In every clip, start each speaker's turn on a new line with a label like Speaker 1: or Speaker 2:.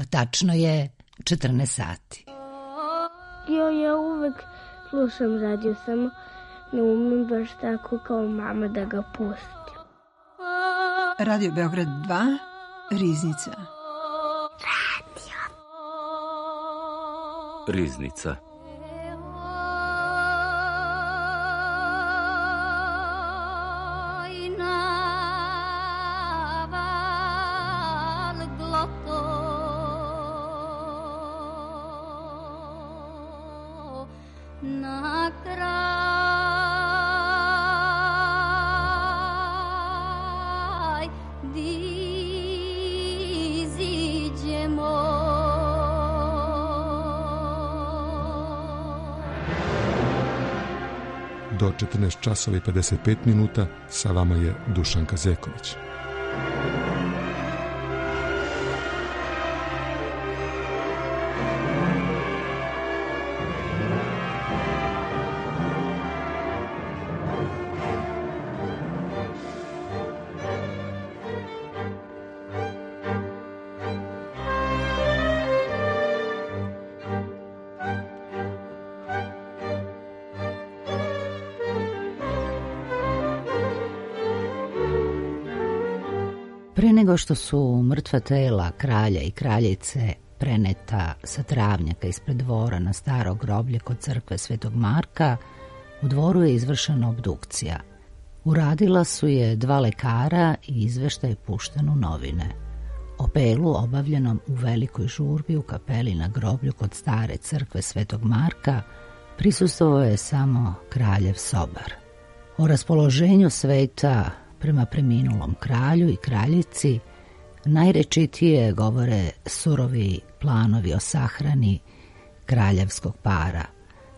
Speaker 1: Tačno je 14 sati.
Speaker 2: Ja uvek slušam radio, samo ne umem baš tako kao mama da ga pustim.
Speaker 3: Radio Beograd 2, Riznica.
Speaker 4: Riznica.
Speaker 5: Do 14 časova i 55 minuta sa vama je Dušanka Zeković.
Speaker 1: Pre nego što su mrtva tela kralja i kraljice preneta sa travnjaka ispred dvora na staro groblje kod crkve Svetog Marka, u dvoru je izvršena obdukcija. Uradila su je 2 lekara i izveštaj pušten u novine. Opelu obavljenom u velikoj žurbi u kapeli na groblju kod stare crkve Svetog Marka prisustvovao je samo kraljev sobar. O raspoloženju sveta prema preminulom kralju i kraljici najrečitije govore surovi planovi o sahrani kraljevskog para,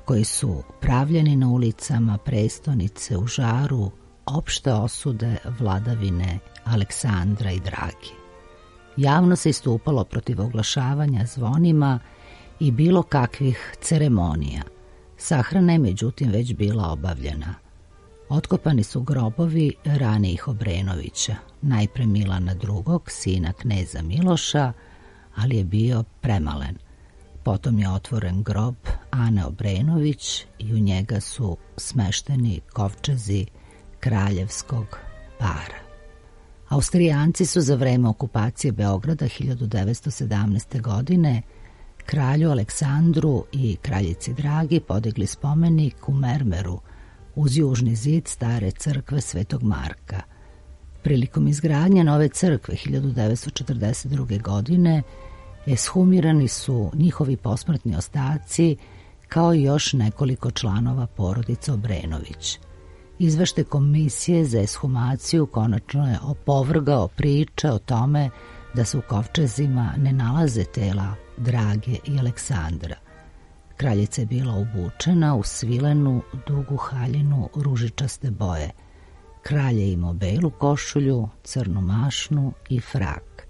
Speaker 1: koji su pravljeni na ulicama prestonice u žaru opšte osude vladavine Aleksandra i Dragi. Javno se istupalo protiv oglašavanja zvonima i bilo kakvih ceremonija. Sahrana je međutim već bila obavljena. Otkopani su grobovi ranijih Obrenovića, najpre Milana II, sina kneza Miloša, ali je bio premalen. Potom je otvoren grob Ane Obrenović i u njega su smešteni kovčezi kraljevskog para. Austrijanci su za vreme okupacije Beograda 1917. godine kralju Aleksandru i kraljici Dragi podigli spomenik u mermeru uz južni zid stare crkve Svetog Marka. Prilikom izgradnje nove crkve 1942. godine eshumirani su njihovi posmrtni ostaci kao i još nekoliko članova porodice Obrenović. Izveštaj komisije za eshumaciju konačno je opovrgao priče o tome da se u kovčezima ne nalaze tela Drage i Aleksandra. Kraljica je bila obučena u svilenu dugu haljinu ružičaste boje. Kralj je imao belu košulju, crnu mašnu i frak.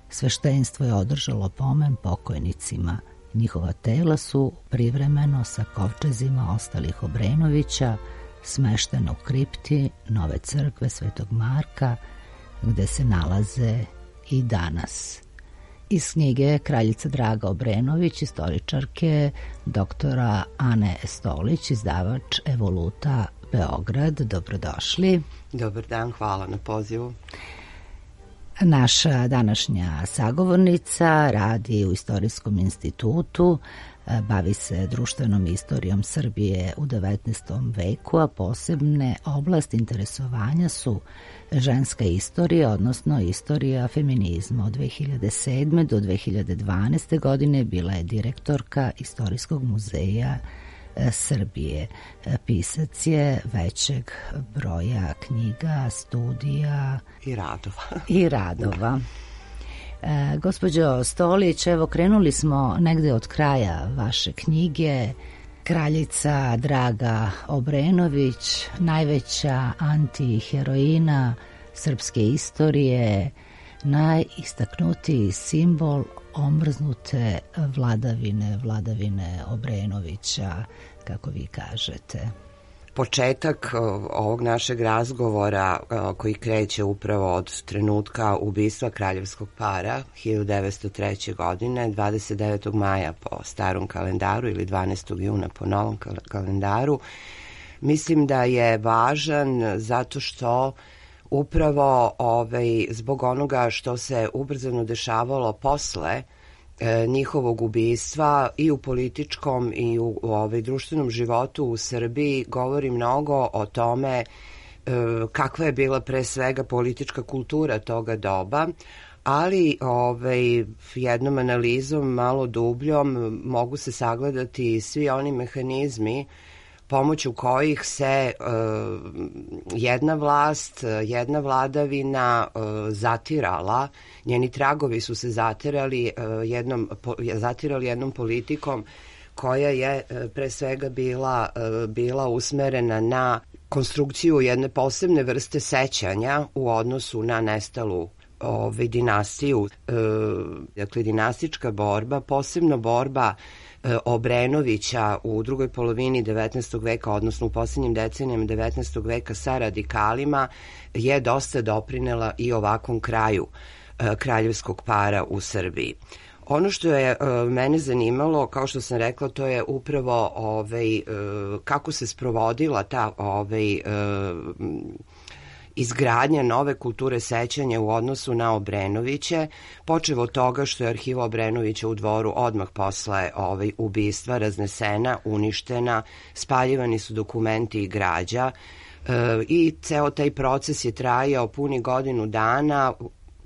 Speaker 1: Sveštenstvo je održalo pomen pokojnicima. Njihova tela su privremeno sa kovčezima ostalih Obrenovića smeštena u kripti nove crkve Svetog Marka, gde se nalaze i danas. Iz knjige Kraljica Draga Obrenović, istoričarke doktora Ane Stolić, izdavač Evoluta Beograd. Dobrodošli.
Speaker 6: Dobar dan, hvala na pozivu.
Speaker 1: Naša današnja sagovornica radi u Istorijskom institutu, bavi se društvenom istorijom Srbije u 19. veku, a posebne oblasti interesovanja su ženska istorija, odnosno istorija feminizma. Od 2007. do 2012. godine bila je direktorka Istorijskog muzeja Srbije. Pisac je većeg broja knjiga, studija i radova. Gospođo Stolić, evo krenuli smo negde od kraja vaše knjige. Kraljica Draga Obrenović, najveća antiheroina srpske istorije, najistaknutiji simbol omrznute vladavine Obrenovića, kako vi kažete.
Speaker 6: početak ovog našeg razgovora koji kreće upravo od trenutka ubistva kraljevskog para 1903. godine, 29. maja po starom kalendaru ili 12. juna po novom kalendaru, mislim da je važan zato što upravo zbog onoga što se ubrzano dešavalo posle njihovog ubistva i u političkom i u društvenom životu u Srbiji govori mnogo o tome kakva je bila pre svega politička kultura toga doba, ali jednom analizom malo dubljom mogu se sagledati svi oni mehanizmi pomoću kojih se jedna vlast, jedna vladavina zatirala, njeni tragovi su se zatirali jednom politikom koja je pre svega bila usmerena na konstrukciju jedne posebne vrste sećanja u odnosu na nestalu dinastiju. Dakle, dinastička borba, posebno borba Obrenovića u drugoj polovini 19. veka, odnosno u posljednjim decenijama 19. veka sa radikalima, je dosta doprinela i ovakvom kraju kraljevskog para u Srbiji. Ono što je mene zanimalo, kao što sam rekla, to je upravo kako se sprovodila ta izgradnja nove kulture sećanja u odnosu na Obrenoviće, počev od toga što je arhiva Obrenovića u Dvoru odmah posle ubistva raznesena, uništena, spaljivani su dokumenti i građa i ceo taj proces je trajao puni godinu dana.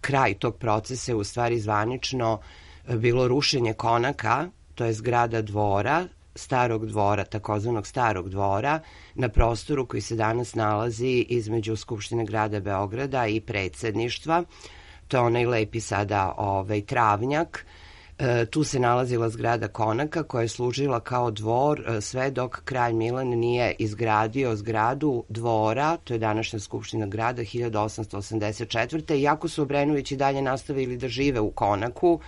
Speaker 6: Kraj tog procesa je u stvari zvanično bilo rušenje konaka, to je zgrada dvora, starog dvora, takozvanog starog dvora, na prostoru koji se danas nalazi između Skupštine grada Beograda i predsedništva. To je onaj lepi sada travnjak. Tu se nalazila zgrada konaka koja je služila kao dvor sve dok kralj Milan nije izgradio zgradu dvora, to je današnja Skupština grada, 1884. Iako su Obrenovići dalje nastavili da žive u konaku,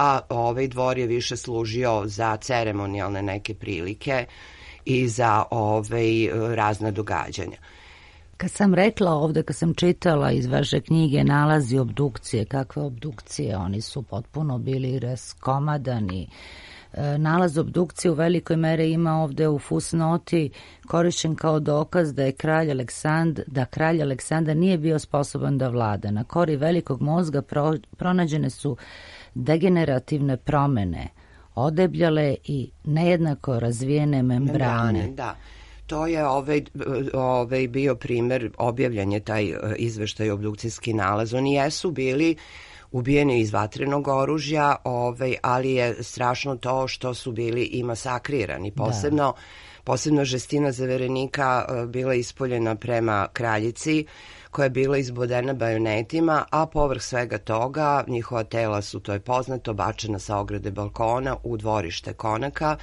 Speaker 6: a dvor je više služio za ceremonijalne neke prilike i za razna događanja.
Speaker 1: Kad sam rekla ovde, kad sam čitala iz vaše knjige nalazi obdukcije, kakve obdukcije, oni su potpuno bili raskomadani. Nalaz obdukcije u velikoj mere ima ovde u fusnoti korišćen kao dokaz da je kralj Aleksandar nije bio sposoban da vlada. Na kori velikog mozga pronađene su degenerativne promene, odebljale i nejednako razvijene membrane.
Speaker 6: Da. To je bio primer, objavljen je taj izveštaj, obdukcijski nalaz. Oni jesu bili ubijeni iz vatrenog oružja, ali je strašno to što su bili i masakrirani. Posebno žestina zaverenika bila ispoljena prema kraljici, koja je bila izbodena bajonetima, a povrh svega toga njihova tela su, to je poznato, bačena sa ograde balkona u dvorište konaka,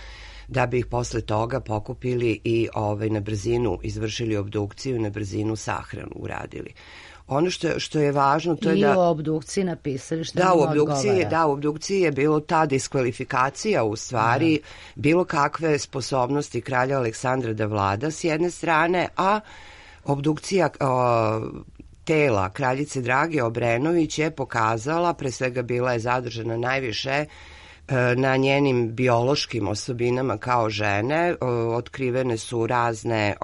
Speaker 6: da bi ih posle toga pokupili i na brzinu izvršili obdukciju i na brzinu sahranu uradili. Ono što je važno, to je da...
Speaker 1: I u obdukciji napisali što im odgovara.
Speaker 6: Da, u obdukciji je bilo ta diskvalifikacija u stvari, bilo kakve sposobnosti kralja Aleksandra da vlada s jedne strane, a obdukcija tela kraljice Drage Obrenović je pokazala, pre svega bila je zadržana najviše na njenim biološkim osobinama kao žene, otkrivene su razne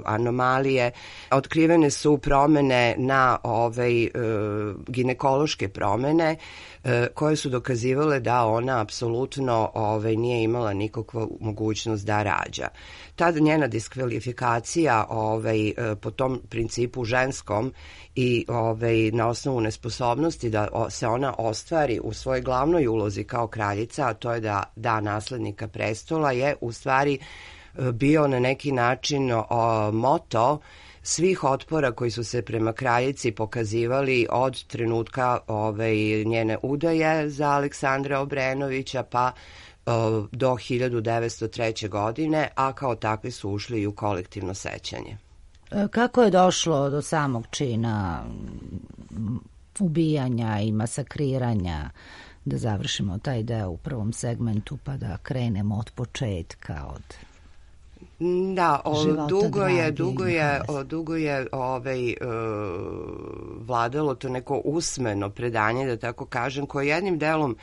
Speaker 6: anomalije, otkrivene su promene na ginekološke promene koje su dokazivale da ona apsolutno nije imala nikakvu mogućnost da rađa. Tada njena diskvalifikacija po tom principu ženskom i na osnovu nesposobnosti da se ona ostvari u svojoj glavnoj ulozi kao kraljica, a to je da naslednika prestola, je u stvari bio na neki način moto svih otpora koji su se prema kraljici pokazivali od trenutka njene udaje za Aleksandra Obrenovića pa do 1903. godine, a kao takvi su ušli i u kolektivno sećanje.
Speaker 1: Kako je došlo do samog čina ubijanja i masakriranja, da završimo taj deo u prvom segmentu pa da krenemo od početka?
Speaker 6: Da, dugo je vladalo to neko usmeno predanje, da tako kažem, koje jednim delom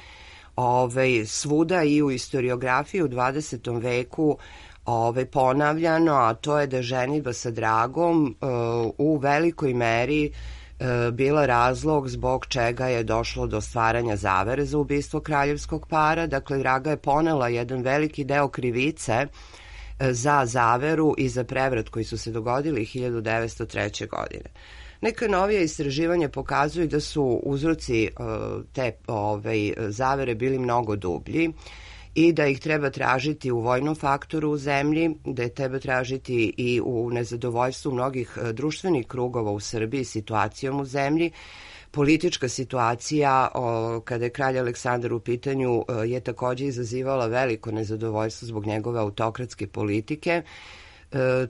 Speaker 6: svuda i u istoriografiji u 20. veku ponavljano, a to je da ženidba sa Dragom u velikoj meri bila razlog zbog čega je došlo do stvaranja zavere za ubistvo kraljevskog para. Dakle, Draga je ponela jedan veliki deo krivice za zaveru i za prevrat koji su se dogodili 1903. godine. Neka novija istraživanja pokazuju da su uzroci te zavere bili mnogo dublji i da ih treba tražiti u vojnom faktoru u zemlji, da je treba tražiti i u nezadovoljstvu mnogih društvenih krugova u Srbiji situacijom u zemlji. Politička situacija kada je kralj Aleksandar u pitanju je takođe izazivala veliko nezadovoljstvo zbog njegove autokratske politike.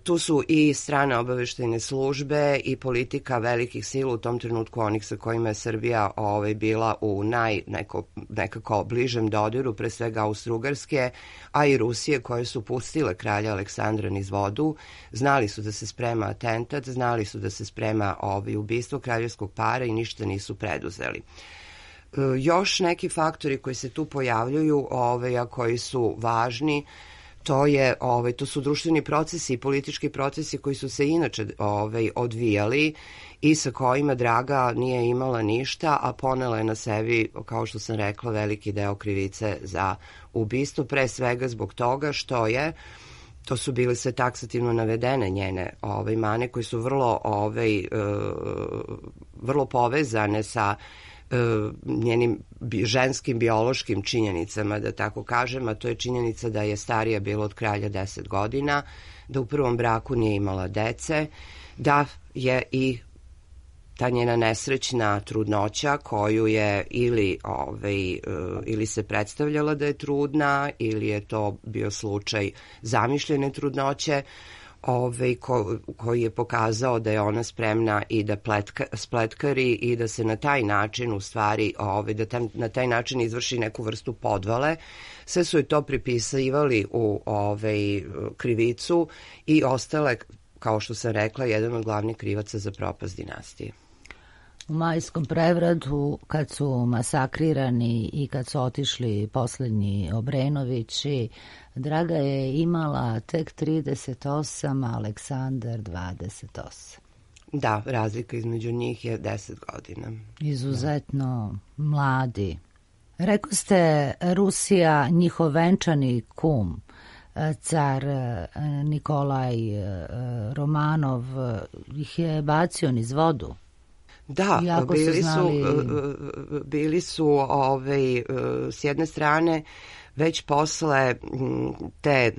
Speaker 6: Tu su i strane obaveštajne službe i politika velikih sila u tom trenutku, onih sa kojima je Srbija bila u nekako bližem dodiru, pre svega Austro-Ugarske, a i Rusije, koje su pustile kralja Aleksandra niz vodu. Znali su da se sprema atentat, znali su da se sprema ubistvo kraljevskog para i ništa nisu preduzeli. Još neki faktori koji se tu pojavljuju, a koji su važni, to su društveni procesi i politički procesi koji su se inače odvijali i sa kojima Draga nije imala ništa, a ponela je na sebi, kao što sam rekla, veliki deo krivice za ubistvo, pre svega zbog toga što to su bile sve taksativno navedene njene mane koje su vrlo povezane sa njenim ženskim biološkim činjenicama, da tako kažem, a to je činjenica da je starija bila od kralja 10 godina, da u prvom braku nije imala dece, da je i ta njena nesrećna trudnoća koju je ili se predstavljala da je trudna ili je to bio slučaj zamišljene trudnoće, koji je pokazao da je ona spremna i da spletkari i da se na taj način u stvari, da na taj način izvrši neku vrstu podvale. Sve su je to pripisivali u krivicu i ostale, kao što sam rekla, jedan od glavnih krivaca za propast dinastije.
Speaker 1: U majskom prevratu, kad su masakrirani i kad su otišli poslednji Obrenovići, Draga je imala tek 38, Aleksandar 28.
Speaker 6: Da, razlika između njih je 10 godina.
Speaker 1: Izuzetno mladi. Rekao ste, Rusija, njihov venčani kum, car Nikolaj Romanov, ih je bacio niz vodu.
Speaker 6: Da, bili su s jedne strane već posle te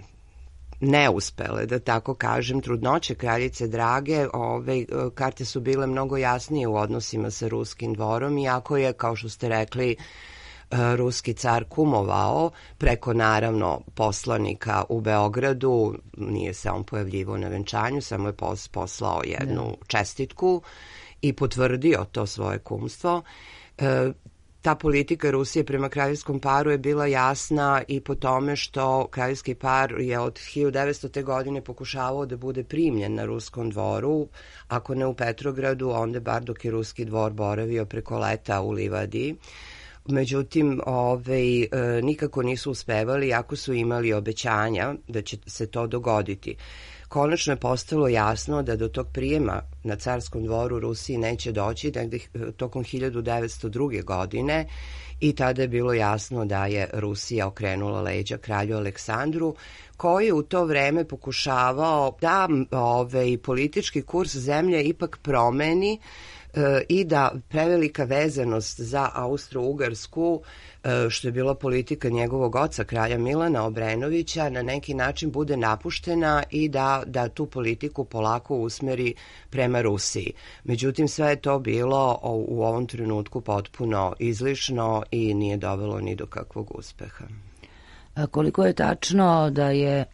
Speaker 6: neuspele, da tako kažem, trudnoće kraljice Drage, karte su bile mnogo jasnije u odnosima sa ruskim dvorom, iako je, kao što ste rekli, ruski car kumovao preko, naravno, poslanika u Beogradu, nije se on pojavljivao na venčanju, samo je poslao jednu čestitku i potvrdio to svoje kumstvo. Ta politika Rusije prema kraljevskom paru je bila jasna i po tome što kraljevski par je od 1900. godine pokušavao da bude primljen na ruskom dvoru, ako ne u Petrogradu, onda bar dok je ruski dvor boravio preko leta u Livadiji. Međutim, nikako nisu uspevali, ako su imali obećanja da će se to dogoditi. Konačno je postalo jasno da do tog prijema na carskom dvoru Rusiji neće doći negde tokom 1902. godine i tada je bilo jasno da je Rusija okrenula leđa kralju Aleksandru, koji je u to vreme pokušavao da politički kurs zemlje ipak promeni i da prevelika vezanost za Austro-Ugarsku, što je bila politika njegovog oca, kralja Milana Obrenovića, na neki način bude napuštena i da tu politiku polako usmeri prema Rusiji. Međutim, sve je to bilo u ovom trenutku potpuno izlišno i nije dovelo ni do kakvog uspeha.
Speaker 1: Koliko je tačno da je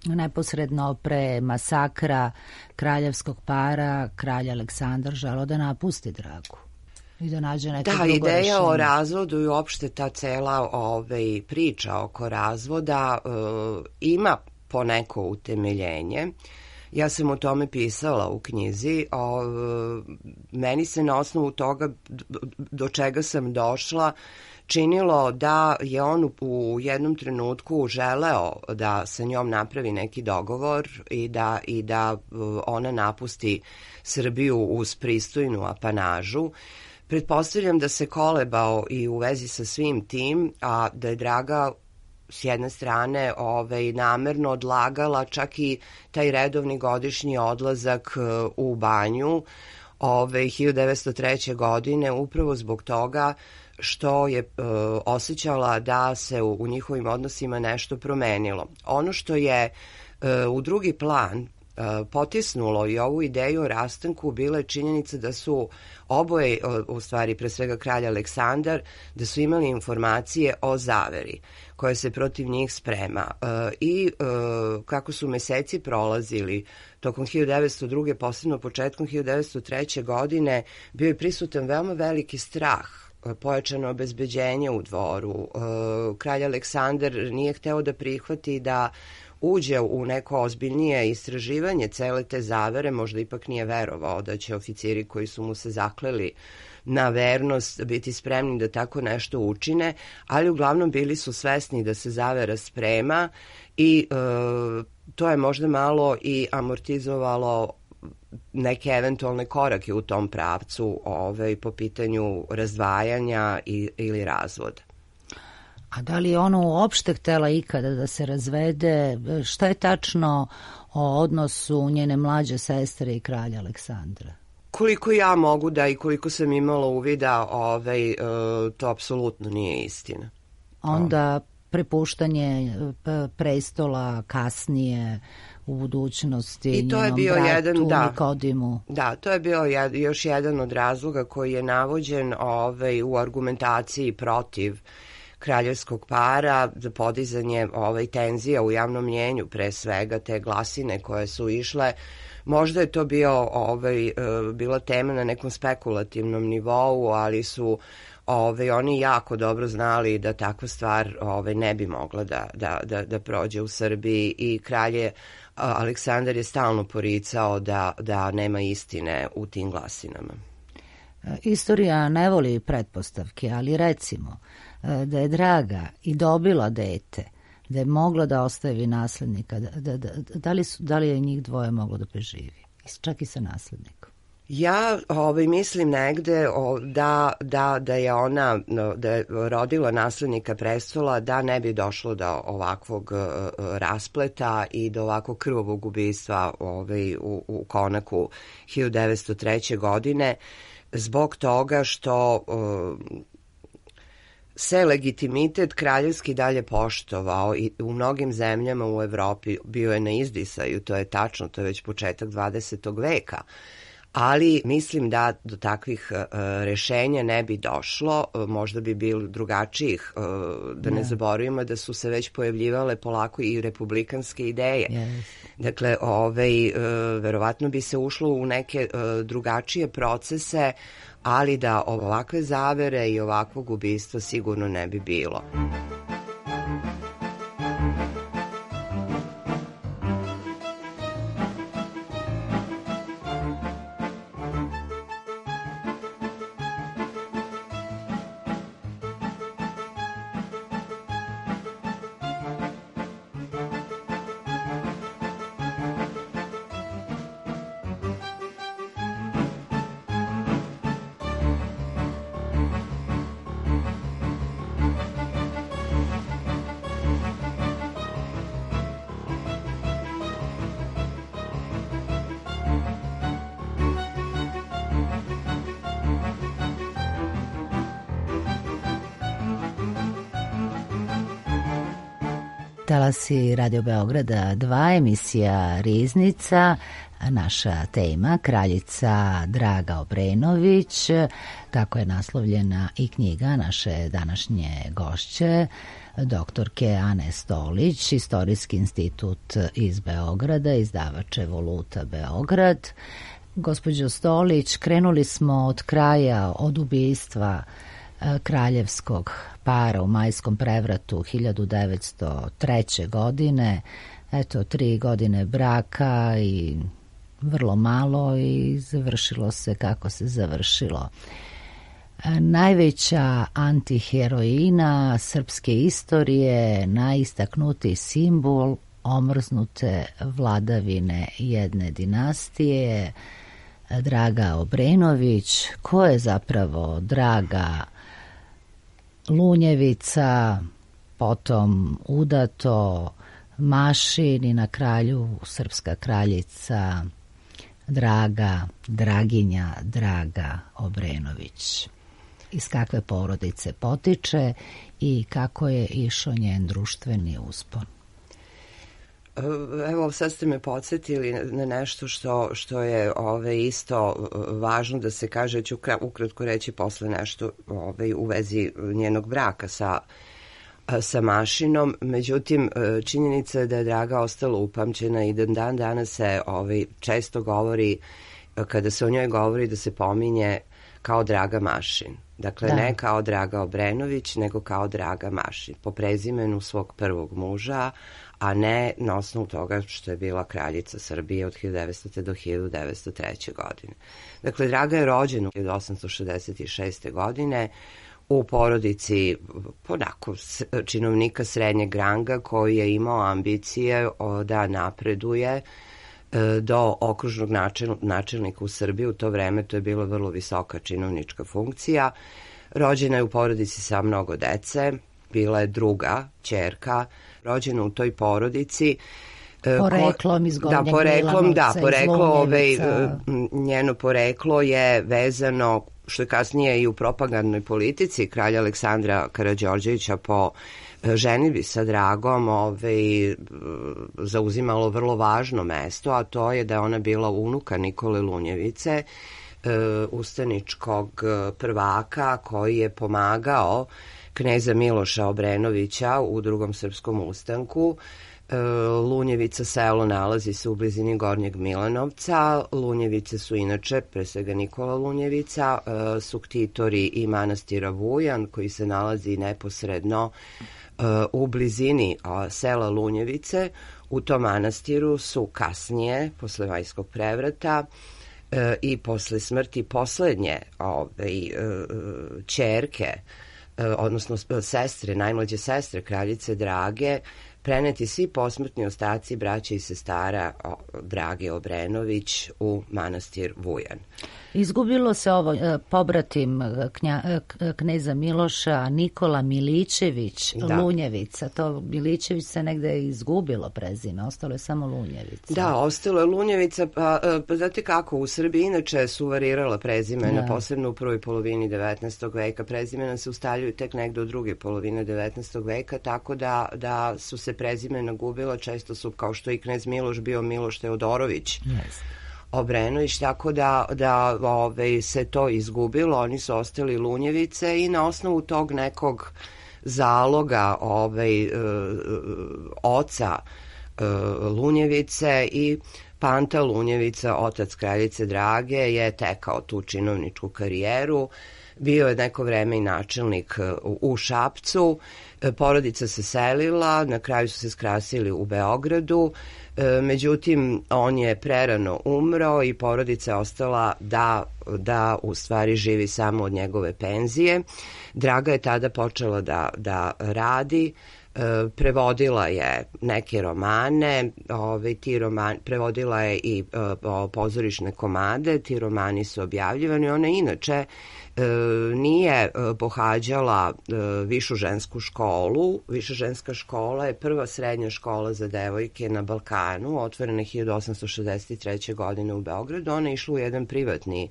Speaker 1: neposredno pre masakra kraljevskog para kralj Aleksandar želeo da napusti Dragu i da nađe neko drugo rešenje? Da, ideja
Speaker 6: o razvodu i uopšte ta cela priča oko razvoda ima poneko utemeljenje. Ja sam o tome pisala u knjizi. Meni se na osnovu toga do čega sam došla činilo da je on u jednom trenutku želeo da sa njom napravi neki dogovor i da ona napusti Srbiju uz pristojnu apanažu. Pretpostavljam da se kolebao i u vezi sa svim tim, a da je Draga s jedne strane namerno odlagala čak i taj redovni godišnji odlazak u banju 1903. godine upravo zbog toga što je osjećala da se u njihovim odnosima nešto promenilo. Ono što je u drugi plan potisnulo i ovu ideju o rastanku bila je činjenica da su oboje, u stvari pre svega kralj Aleksandar, da su imali informacije o zaveri koja se protiv njih sprema. I kako su meseci prolazili tokom 1902. posebno početkom 1903. godine, bio je prisutan veoma veliki strah, pojačano obezbeđenje u dvoru. Kralj Aleksandar nije hteo da prihvati da uđe u neko ozbiljnije istraživanje cele te zavere, možda ipak nije verovao da će oficiri koji su mu se zakleli na vernost biti spremni da tako nešto učine, ali uglavnom bili su svesni da se zavera sprema i to je možda malo i amortizovalo neke eventualne korake u tom pravcu po pitanju razdvajanja ili razvoda.
Speaker 1: A da li je ona uopšte htela ikada da se razvede? Šta je tačno o odnosu njene mlađe sestre i kralja Aleksandra?
Speaker 6: Koliko ja mogu da i koliko sam imala uvida, to apsolutno nije istina.
Speaker 1: Onda prepuštanje prestola kasnije u budućnosti njenom bratu Nikodimu.
Speaker 6: Da, to je bio još jedan od razloga koji je navođen u argumentaciji protiv kraljevskog para za podizanje tenzija u javnom mnjenju, pre svega te glasine koje su išle. Možda je to bila tema na nekom spekulativnom nivou, ali su oni jako dobro znali da takva stvar ne bi mogla da prođe u Srbiji i kralj Aleksandar je stalno poricao da nema istine u tim glasinama.
Speaker 1: Istorija ne voli pretpostavke, ali recimo da je Draga i dobila dete, da je mogla da ostavi naslednika, da li je njih dvoje moglo da preživi, čak i sa naslednikom?
Speaker 6: Ja mislim negde da je ona da je rodila naslednika prestola, da ne bi došlo do ovakvog raspleta i do ovakvog krvavog ubistva u konaku 1903. godine, zbog toga što se legitimitet kraljevski dalje poštovao i u mnogim zemljama u Evropi bio je na izdisaju, to je tačno, to je već početak 20. veka. Ali mislim da do takvih rešenja ne bi došlo, možda bi bilo drugačijih, da ne zaboravimo da su se već pojavljivale polako i republikanske ideje. Dakle, verovatno bi se ušlo u neke drugačije procese, ali da ovakve zavere i ovakvog ubistva sigurno ne bi bilo.
Speaker 1: Talasi Radio Beograda 2, emisija Riznica, naša tema kraljica Draga Obrenović, tako je naslovljena i knjiga naše današnje gošće, doktorke Ane Stolić, Istorijski institut iz Beograda, izdavač Evoluta Beograd. Gospođo Stolić, krenuli smo od kraja, od ubistva kraljevskog para u majskom prevratu 1903. godine. eto 3 godine braka i vrlo malo i završilo se kako se završilo. Najveća antiheroina srpske istorije, najistaknutiji simbol omrznute vladavine jedne dinastije, Draga Obrenović. Ko je zapravo Draga Lunjevica, potom udato Mašin i na kralju srpska kraljica Draginja Draga Obrenović. Iz kakve porodice potiče i kako je išao njen društveni uspon?
Speaker 6: Evo, sad ste me podsjetili na nešto što je isto važno da se kaže. Ću ukratko reći posle nešto u vezi njenog braka sa Mašinom. Međutim, činjenica je da je Draga ostala upamćena i dan danas se često govori, kada se o njoj govori, da se pominje kao Draga Mašin. Dakle, ne kao Draga Obrenović, nego kao Draga Mašin, po prezimenu svog prvog muža, a ne na osnovu toga što je bila kraljica Srbije od 1900. do 1903. godine. Dakle, Draga je rođena 1866. godine u porodici onako činovnika srednjeg ranga koji je imao ambicije da napreduje do okružnog načelnika u Srbiji. U to vreme to je bila vrlo visoka činovnička funkcija. Rođena je u porodici sa mnogo dece, bila je druga ćerka, rođena u toj porodici.
Speaker 1: Poreklom iz Gornjeg Milanovca,
Speaker 6: njeno poreklo je vezano, što je kasnije i u propagandnoj politici kralja Aleksandra Karađorđevića po ženidbi sa Dragom zauzimalo vrlo važno mesto, a to je da je ona bila unuka Nikole Lunjevice, ustaničkog prvaka koji je pomagao kneza Miloša Obrenovića u Drugom srpskom ustanku. Lunjevica selo nalazi se u blizini Gornjeg Milanovca. Lunjevice su inače, pre svega Nikola Lunjevica, su ktitori i manastira Vujan koji se nalazi neposredno u blizini sela Lunjevice. U tom manastiru su kasnije, posle Majskog prevrata i posle smrti poslednje ćerke, odnosno sestre, najmlađe sestre kraljice Drage, preneti svi posmrtni ostaci braća i sestara Drage Obrenović u manastir Vujan.
Speaker 1: Izgubilo se pobratim kneza Miloša, Nikola Milićević, Lunjevica. To Milićević se negde izgubilo prezime, ostalo je samo Lunjevica.
Speaker 6: Da, ostalo je Lunjevica, pa znate kako, u Srbiji inače su varirala prezimena, posebno u prvoj polovini 19. veka. Prezimena se ustaljuju tek negde u druge polovine 19. veka, tako da su se prezimena gubila. Često su, kao što i knez Miloš bio Miloš Teodorović Obrenović, tako da se to izgubilo. Oni su ostali Lunjevice i na osnovu tog nekog zaloga oca Lunjevice i Panta Lunjevica, otac kraljice Drage, je tekao tu činovničku karijeru. Bio je neko vreme i načelnik u Šapcu. Porodica se selila, na kraju su se skrasili u Beogradu. Međutim, on je prerano umro i porodica je ostala da u stvari živi samo od njegove penzije. Draga je tada počela da radi, prevodila je neke romane, prevodila je i pozorišne komade, ti romani su objavljivani. Ona inače nije pohađala višu žensku školu. Viša ženska škola je prva srednja škola za devojke na Balkanu, otvorena 1863. godine u Beogradu. Ona je išla u jedan privatni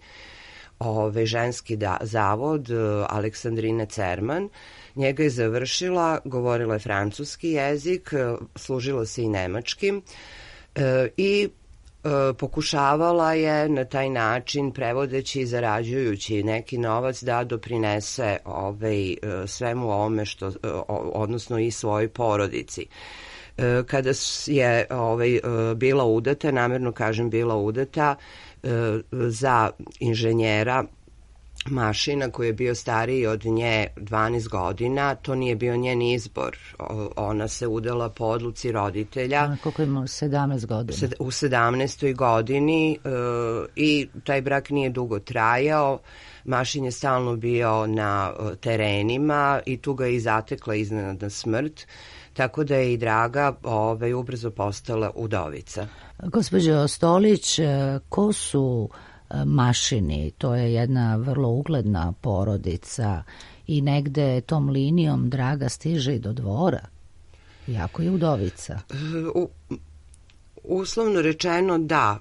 Speaker 6: ženski zavod Aleksandrine Cerman. Njega je završila, govorila je francuski jezik, služila se i nemačkim i pokušavala je na taj način, prevodeći i zarađujući neki novac, da doprinese svemu ovome, odnosno i svojoj porodici. Kada je bila udata, namerno kažem bila udata, za inženjera Mašina koji je bio stariji od nje 12 godina, to nije bio njen izbor. Ona se udala po odluci roditelja.
Speaker 1: Koliko ima 17 godina?
Speaker 6: U 17. godini i taj brak nije dugo trajao. Mašin je stalno bio na terenima i tu ga je i zatekla iznenadna smrt, tako da je i Draga ubrzo postala udovica.
Speaker 1: Gospođo Stolić, ko su Mašini? To je jedna vrlo ugledna porodica i negde tom linijom Draga stiže i do dvora, iako je udovica.
Speaker 6: Uslovno rečeno da,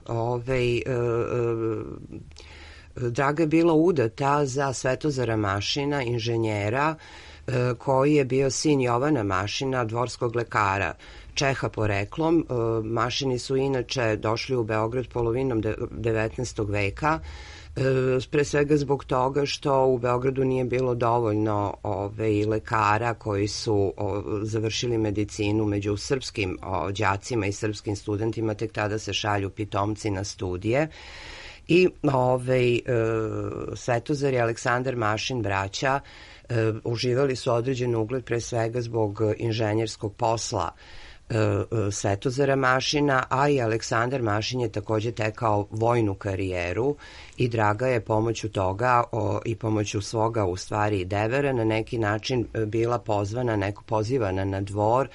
Speaker 6: Draga je bila udata za Svetozara Mašina, inženjera, koji je bio sin Jovana Mašina, dvorskog lekara, Čeha poreklom. Mašini su inače došli u Beograd polovinom 19. veka, pre svega zbog toga što u Beogradu nije bilo dovoljno lekara koji su završili medicinu među srpskim đacima i srpskim studentima, tek tada se šalju pitomci na studije. I Svetozar i Aleksandar Mašin, braća, uživali su određen ugled pre svega zbog inženjerskog posla Svetozara Mašina, a i Aleksandar Mašin je takođe tekao vojnu karijeru i Draga je pomoću toga i pomoću svoga u stvari devera na neki način bila pozivana na dvor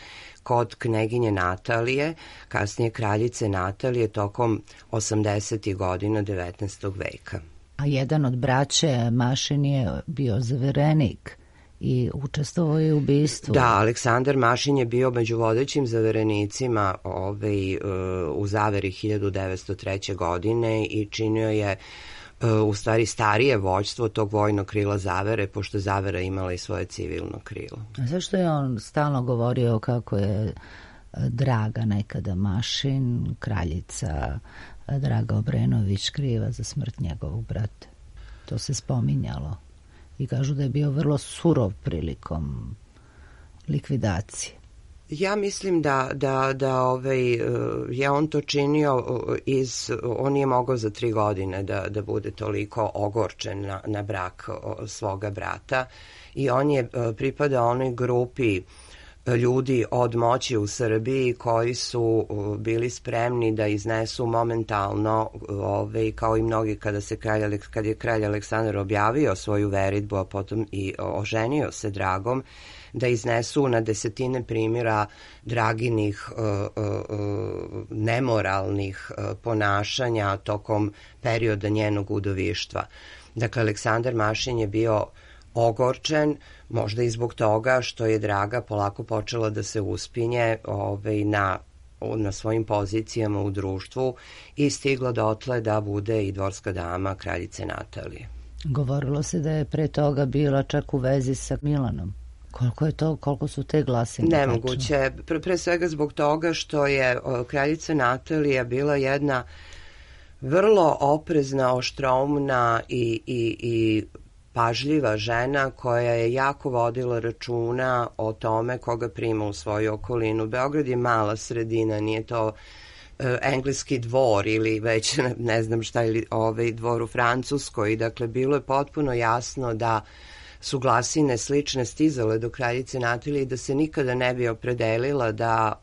Speaker 6: kod kneginje Natalije, kasnije kraljice Natalije, tokom 80. godina 19. veka.
Speaker 1: A jedan od braće Mašin je bio zaverenik i učestvovao je u ubistvu.
Speaker 6: Da, Aleksandar Mašin je bio među vodećim zaverenicima u zaveri 1903. godine i činio je u stvari starije vođstvo tog vojnog krila zavere, pošto zavera imala i svoje civilno krilo.
Speaker 1: A zašto je on stalno govorio kako je Draga nekada Mašin, kraljica Draga Obrenović, kriva za smrt njegovog brata? To se spominjalo i kažu da je bio vrlo surov prilikom likvidacije.
Speaker 6: Ja mislim da je on to činio on nije mogao za 3 godine da bude toliko ogorčen na brak svoga brata i on je pripadao onoj grupi ljudi od moći u Srbiji koji su bili spremni da iznesu momentalno, kao i mnogi kad je kralj Aleksandar objavio svoju veritbu, a potom i oženio se Dragom, da iznesu na desetine primjera Draginih nemoralnih ponašanja tokom perioda njenog udovištva. Dakle, Aleksandar Mašin je bio ogorčen, možda i zbog toga što je Draga polako počela da se uspinje na svojim pozicijama u društvu i stigla dotle da bude i dvorska dama kraljice Natalije.
Speaker 1: Govorilo se da je pre toga bila čak u vezi sa Milanom. Koliko su te glasine?
Speaker 6: Nemoguće. Pre svega zbog toga što je kraljica Natalija bila jedna vrlo oprezna, oštroumna i pažljiva žena koja je jako vodila računa o tome koga prima u svoju okolinu. Beograd je mala sredina, nije to engleski dvor ili već ne znam šta, ili dvor u Francuskoj. Dakle, bilo je potpuno jasno da su glasine slične stizale do kraljice Natalije i da se nikada ne bi opredelila da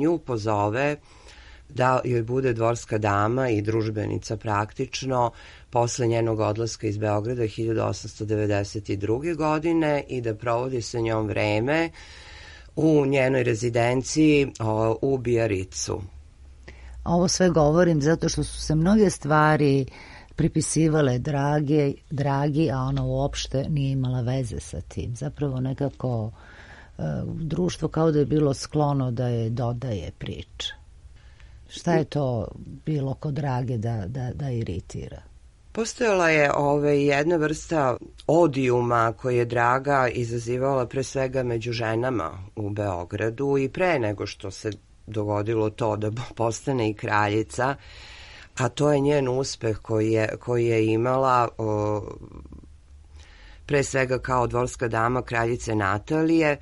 Speaker 6: nju pozove da joj bude dvorska dama i družbenica praktično posle njenog odlaska iz Beograda 1892. godine i da provodi sa njom vreme u njenoj rezidenciji u Bijaricu.
Speaker 1: Ovo sve govorim zato što su se mnoge stvari pripisivale Dragi, a ona uopšte nije imala veze sa tim. Zapravo nekako društvo kao da je bilo sklono da je dodaje priča. Šta je to bilo kod Drage da iritira?
Speaker 6: Postojala je jedna vrsta odijuma koje je Draga izazivala pre svega među ženama u Beogradu i pre nego što se dogodilo to da postane i kraljica, a to je njen uspeh koji je imala pre svega kao dvorska dama kraljice Natalije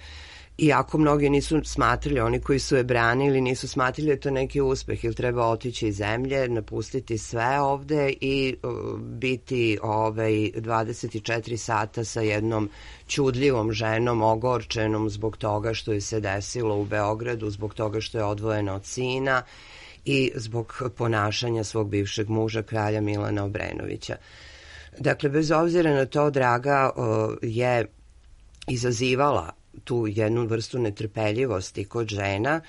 Speaker 6: Iako mnogi nisu smatrali, oni koji su je branili nisu smatrali da je to neki uspeh ili treba otići iz zemlje, napustiti sve ovde i biti 24 sata sa jednom ćudljivom ženom, ogorčenom zbog toga što je se desilo u Beogradu, zbog toga što je odvojena od sina i zbog ponašanja svog bivšeg muža, kralja Milana Obrenovića. Dakle, bez obzira na to, Draga je izazivala tu jednu vrstu netrpeljivosti kod žena,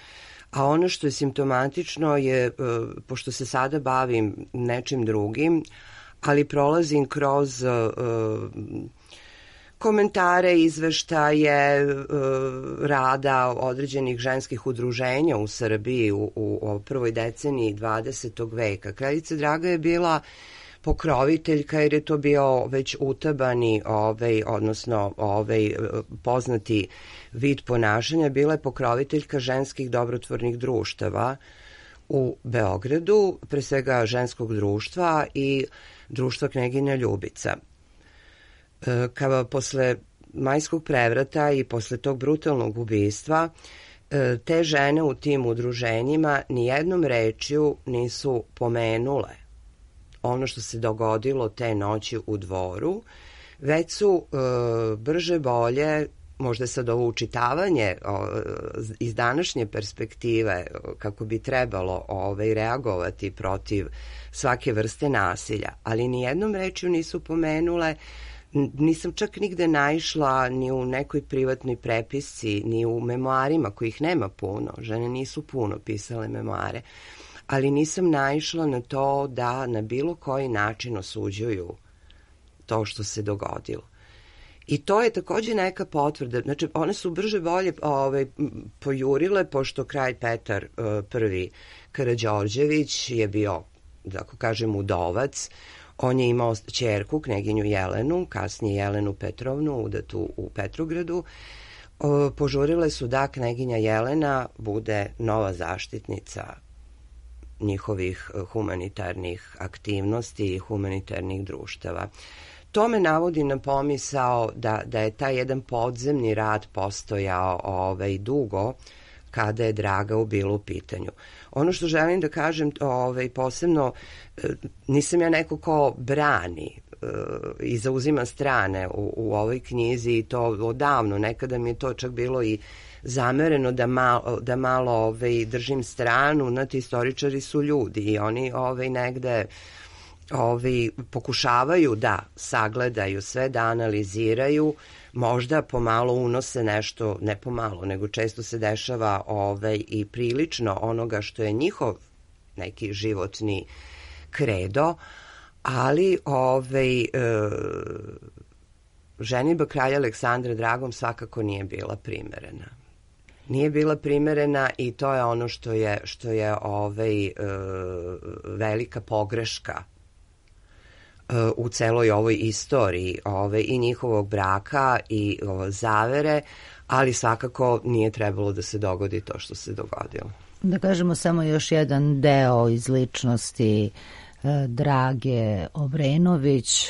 Speaker 6: a ono što je simptomatično je, pošto se sada bavim nečim drugim, ali prolazim kroz komentare, izveštaje rada određenih ženskih udruženja u Srbiji u prvoj deceniji 20. veka. Kraljica Draga je bila pokroviteljka jer je to bio već utabani, odnosno poznati vid ponašanja, bila je pokroviteljka ženskih dobrotvornih društava u Beogradu, pre svega ženskog društva i društva Kneginja Ljubica. Kao posle Majskog prevrata i posle tog brutalnog ubistva, te žene u tim udruženjima nijednom rečju nisu pomenule ono što se dogodilo te noći u Dvoru, već su brže bolje, možda sad ovo učitavanje iz današnje perspektive, kako bi trebalo reagovati protiv svake vrste nasilja, ali nijednom rečju nisu pomenule. Nisam čak nigde naišla ni u nekoj privatnoj prepisci, ni u memoarima, kojih nema puno, žene nisu puno pisale memoare, ali nisam naišla na to da na bilo koji način osuđuju to što se dogodilo. I to je takođe neka potvrda. Znači, one su brže bolje pojurile, pošto kralj Petar I Karađorđević je bio, da ako kažem, udovac. On je imao ćerku, kneginju Jelenu, kasnije Jelenu Petrovnu, udatu u Petrogradu. Požurile su da kneginja Jelena bude nova zaštitnica njihovih humanitarnih aktivnosti i humanitarnih društava. To me navodi na pomisao da je taj jedan podzemni rad postojao dugo kada je Draga bila u pitanju. Ono što želim da kažem posebno, nisam ja neko ko brani i zauzima strane u ovoj knjizi i to odavno, nekada mi je to čak bilo i zamereno da malo držim stranu, znate, istoričari su ljudi i oni negde pokušavaju da sagledaju sve, da analiziraju, možda pomalo unose nešto, ne pomalo, nego često se dešava i prilično onoga što je njihov neki životni kredo, ali ženidba kralja Aleksandra Dragom svakako nije bila primerena. Nije bila primerena i to je ono što je velika pogreška u celoj ovoj istoriji i njihovog braka i zavere, ali svakako nije trebalo da se dogodi to što se dogodilo.
Speaker 1: Da kažemo samo još jedan deo iz ličnosti Drage Obrenović.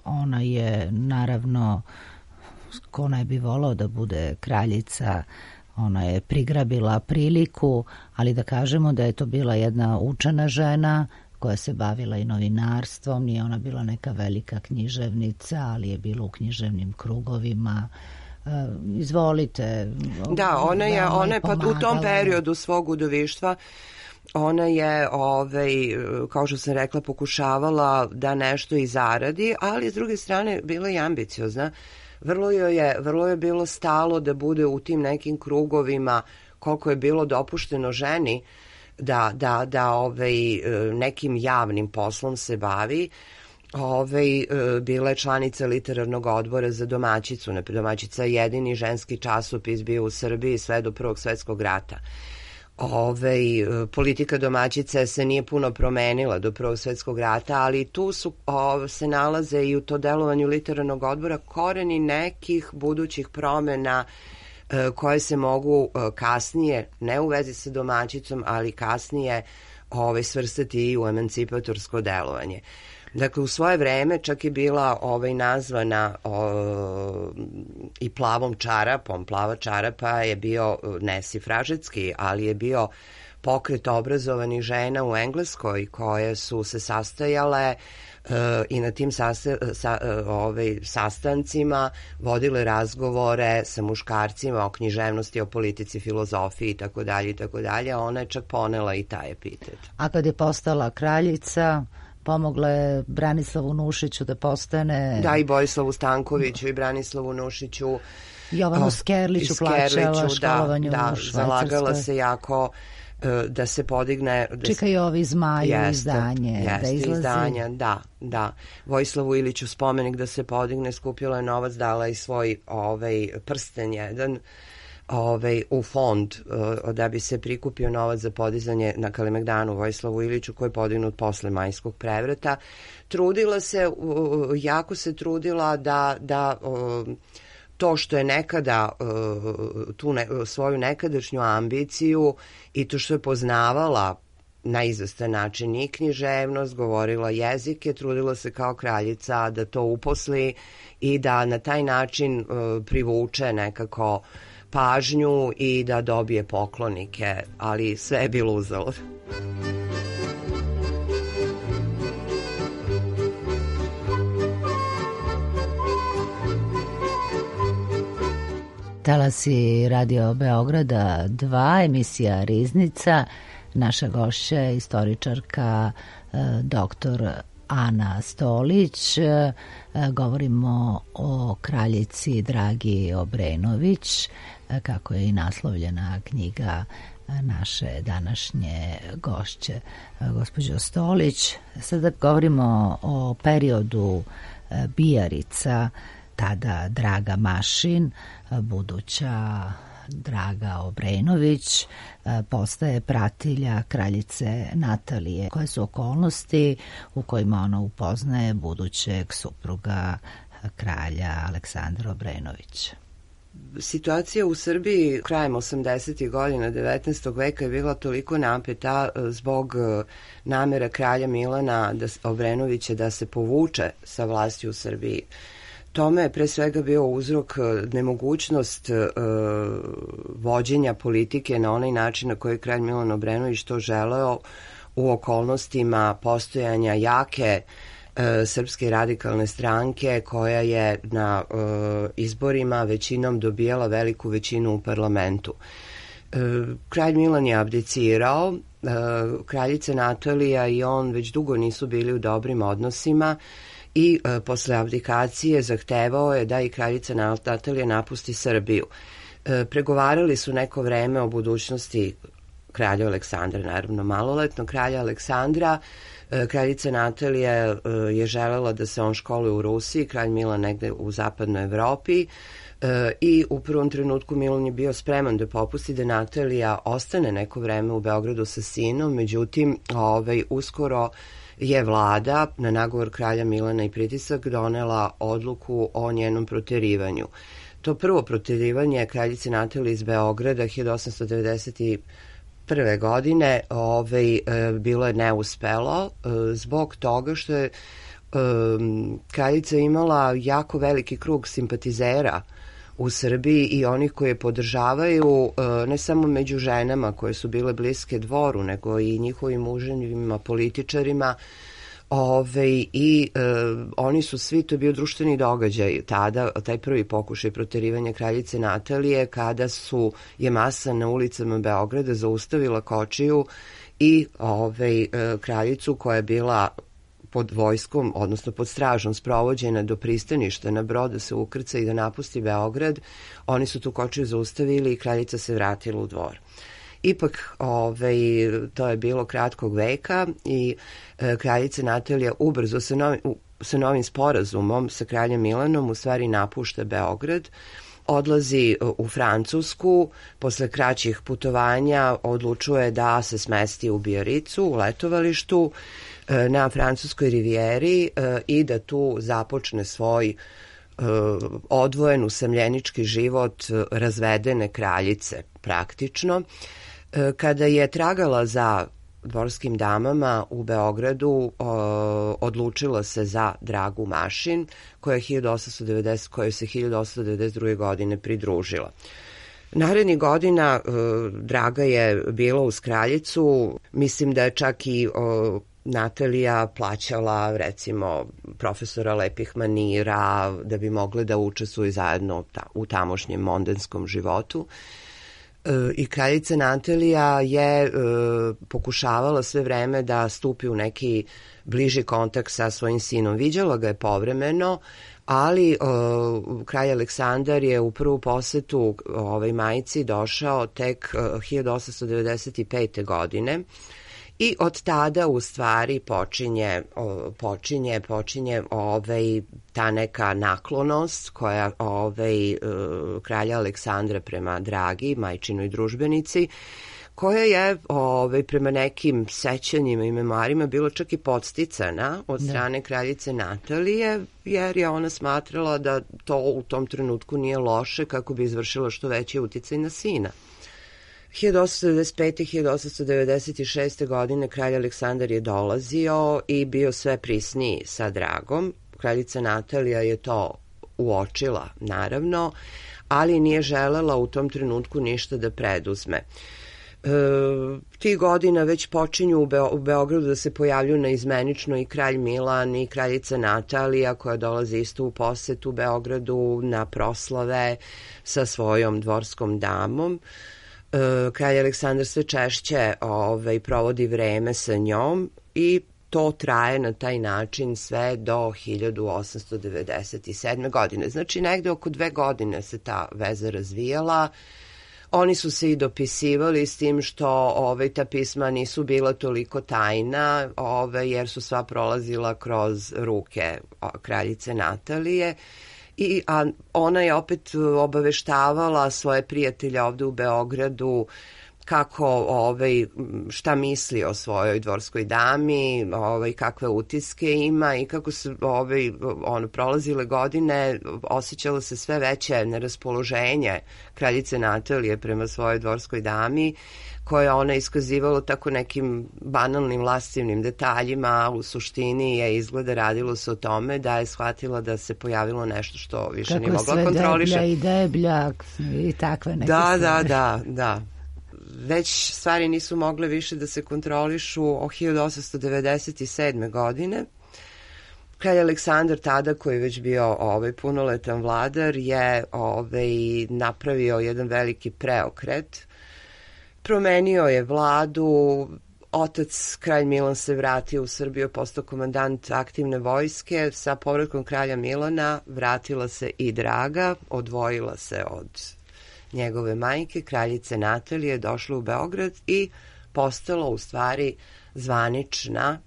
Speaker 1: Ona je naravno, ko ne bi volao da bude kraljica, ona je prigrabila priliku, ali da kažemo da je to bila jedna učena žena koja se bavila i novinarstvom. Nije ona bila neka velika književnica, ali je bila u književnim krugovima. Izvolite.
Speaker 6: Da, ona je pa u tom periodu svog udovištva ona je, kao što sam rekla, pokušavala da nešto i zaradi, ali s druge strane bila je ambiciozna. Vrlo je bilo stalo da bude u tim nekim krugovima, koliko je bilo dopušteno ženi da nekim javnim poslom se bavi. Bila je članica literarnog odbora za Domaćicu. Domaćica je jedini ženski časopis bio u Srbiji sve do Prvog svetskog rata. Politika Domaćice se nije puno promenila do Prvog svetskog rata, ali tu se nalaze i u to delovanju literarnog odbora koreni nekih budućih promena koje se mogu kasnije, ne u vezi sa Domaćicom, ali kasnije svrstati i u emancipatorsko delovanje. Dakle, u svoje vreme čak je bila nazvana i plavom čarapom. Plava čarapa je bio ne sifražetski, ali je bio pokret obrazovanih žena u Engleskoj koje su se sastajale i na tim sastancima vodile razgovore sa muškarcima o književnosti, o politici, filozofiji itd. Ona je čak ponela i taj epitet.
Speaker 1: A kad je postala kraljica, pomogla je Branislavu Nušiću da postane...
Speaker 6: Da, i Borislavu Stankoviću i Branislavu Nušiću.
Speaker 1: Jovanu Skerliću plaćala školovanje u Švajcarskoj.
Speaker 6: Zalagala se jako da se podigne...
Speaker 1: Čekaj ovi Zmaju izdanje.
Speaker 6: Da izlazi. Izdanja, da. Vojislavu Iliću spomenik da se podigne, skupila je novac, dala i svoj prsten jedan u fond da bi se prikupio novac za podizanje na Kalemegdanu Vojislavu Iliću koji je podignut posle Majskog prevrata. Trudila se, jako se trudila da to što je nekada tu svoju nekadašnju ambiciju i to što je poznavala na izvestan način i književnost, govorila jezike, trudila se kao kraljica da to uposli i da na taj način privuče nekako pažnju i da dobije poklonike, ali sve je bilo uzalud.
Speaker 1: Talasi Radio Beograda 2, emisija Riznica. Naša gošća je istoričarka doktor Ana Stolić. Govorimo o kraljici Dragi Obrenović, kako je i naslovljena knjiga naše današnje gošće, gospođo Stolić. Sada govorimo o periodu Bijarica, tada Draga Mašin, buduća Draga Obrenović, postaje pratilja kraljice Natalije. Koje su okolnosti u kojima ona upoznaje budućeg supruga kralja Aleksandra Obrenovića?
Speaker 6: Situacija u Srbiji krajem 80. godina 19. veka je bila toliko napeta zbog namera kralja Milana Obrenovića da se povuče sa vlasti u Srbiji. Tome je pre svega bio uzrok nemogućnost vođenja politike na onaj način na koji je kralj Milan Obrenović to želeo u okolnostima postojanja jake Srpske radikalne stranke koja je na izborima većinom dobijala veliku većinu u parlamentu. Kralj Milan je abdicirao, kraljica Natalija i on već dugo nisu bili u dobrim odnosima i posle abdikacije zahtevao je da i kraljica Natalija napusti Srbiju. Pregovarali su neko vreme o budućnosti kralja Aleksandra, naravno maloletno kralja Aleksandra. Kraljica Natalija je želela da se on školuje u Rusiji, kralj Milan negde u zapadnoj Evropi i u prvom trenutku Milan je bio spreman da popusti da Natalija ostane neko vreme u Beogradu sa sinom, međutim uskoro je vlada na nagovor kralja Milana i pritisak donela odluku o njenom proterivanju. To prvo proterivanje kraljice Natalije iz Beograda 1891. godine bilo je neuspelo zbog toga što je kraljica imala jako veliki krug simpatizera u Srbiji i onih koje podržavaju ne samo među ženama koje su bile bliske dvoru, nego i njihovim muževima, političarima. Oni su svi, to je bio društveni događaj tada, taj prvi pokušaj proterivanja kraljice Natalije, kada je masa na ulicama Beograda zaustavila kočiju i kraljicu koja je bila pod vojskom, odnosno pod stražom sprovođena do pristaništa na brod da se ukrca i da napusti Beograd. Oni su tu kočiju zaustavili i kraljica se vratila u dvor. Ipak, to je bilo kratkog veka i kraljica Natalija ubrzo sa novim sporazumom sa kraljem Milanom u stvari napušta Beograd, odlazi u Francusku, posle kraćih putovanja odlučuje da se smesti u Bijaricu, u letovalištu na francuskoj rivijeri i da tu započne svoj odvojen usamljenički život razvedene kraljice praktično. Kada je tragala za dvorskim damama u Beogradu odlučila se za Dragu Mašin, kojoj se 1892. godine pridružila. Narednih godina Draga je bila uz kraljicu, mislim da je čak i Natalija plaćala recimo profesora lepih manira da bi mogle da učestvuju zajedno u tamošnjem mondenskom životu. I kraljica Natalija je pokušavala sve vreme da stupi u neki bliži kontakt sa svojim sinom. Viđala ga je povremeno, ali kralj Aleksandar je u prvu posetu majici došao tek 1895. godine i od tada u stvari počinje ta neka naklonost koja kralja Aleksandra prema Dragi, majčinoj družbenici, koja je prema nekim sećanjima i memoarima bilo čak i podsticana od strane kraljice Natalije, jer je ona smatrala da to u tom trenutku nije loše kako bi izvršila što veći uticaj na sina. 1895. i 1896. godine kralj Aleksandar je dolazio i bio sve prisniji sa Dragom. Kraljica Natalija je to uočila, naravno, ali nije želela u tom trenutku ništa da preduzme. Tih godina već počinju u Beogradu da se pojavljuju naizmenično i kralj Milan i kraljica Natalija, koja dolazi isto u posetu Beogradu na proslave sa svojom dvorskom damom. Kralj Aleksandar sve češće provodi vreme sa njom i to traje na taj način sve do 1897. godine. Znači negde oko 2 godine se ta veza razvijala. Oni su se i dopisivali s tim što ta pisma nisu bila toliko tajna, jer su sva prolazila kroz ruke kraljice Natalije. A ona je opet obaveštavala svoje prijatelje ovde u Beogradu kako, šta misli o svojoj dvorskoj dami, kakve utiske ima i kako su prolazile godine, osjećalo se sve veće neraspoloženje kraljice Natalije prema svojoj dvorskoj dami, koje ona iskazivala tako nekim banalnim lascivnim detaljima, a u suštini je izgleda radilo se o tome da je shvatila da se pojavilo nešto što više nije mogla kontroliše.
Speaker 1: Kako je sve deblja i debljak i takve neke
Speaker 6: stvari. Da. Već stvari nisu mogle više da se kontrolišu od 1897. godine. Kralj Aleksandar tada, koji je već bio punoletan vladar, je napravio jedan veliki preokret. Promenio je vladu, otac kralj Milan se vratio u Srbiju, postao komandant aktivne vojske. Sa povratkom kralja Milana vratila se i Draga, odvojila se od njegove majke, kraljice Natalije, došla u Beograd i postala u stvari zvanična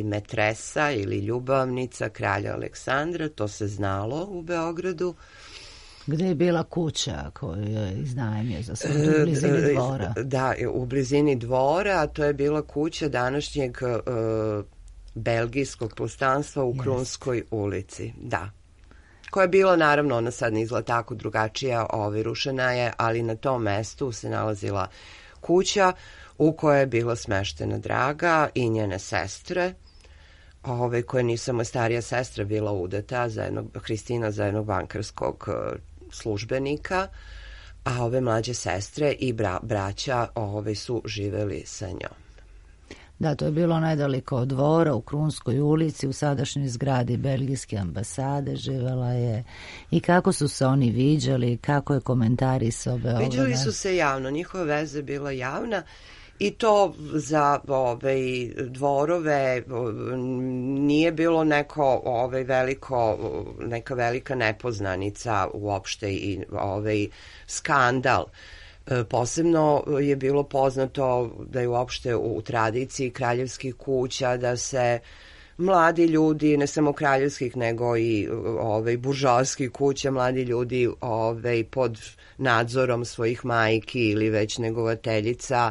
Speaker 6: metresa ili ljubavnica kralja Aleksandra. To se znalo u Beogradu.
Speaker 1: Gde je bila kuća koju je iznajmio za sve, u blizini dvora?
Speaker 6: Da, u blizini dvora, a to je bila kuća današnjeg belgijskog postanstva u Krunskoj ulici. Da. Koja je bila, naravno, ona sad ne izgleda tako drugačija, rušena je, ali na tom mestu se nalazila kuća u kojoj je bila smeštena Draga i njene sestre, koje nije samo starija sestra bila udata, Hristina za jednog bankarskog službenika, a ove mlađe sestre i braća su živeli sa njom.
Speaker 1: Da, to je bilo nedaleko od dvora, u Krunskoj ulici, u sadašnjoj zgradi belgijske ambasade živela je. I kako su se oni viđali, kako je komentarisao Beograd?
Speaker 6: Viđali su se javno, njihova veza je bila javna i to za dvorove nije bilo neka velika nepoznanica uopšte i skandal. Posebno je bilo poznato da je uopšte u tradiciji kraljevskih kuća da se mladi ljudi, ne samo kraljevskih nego i buržoaskih kuća, mladi ljudi pod nadzorom svojih majki ili već negovateljica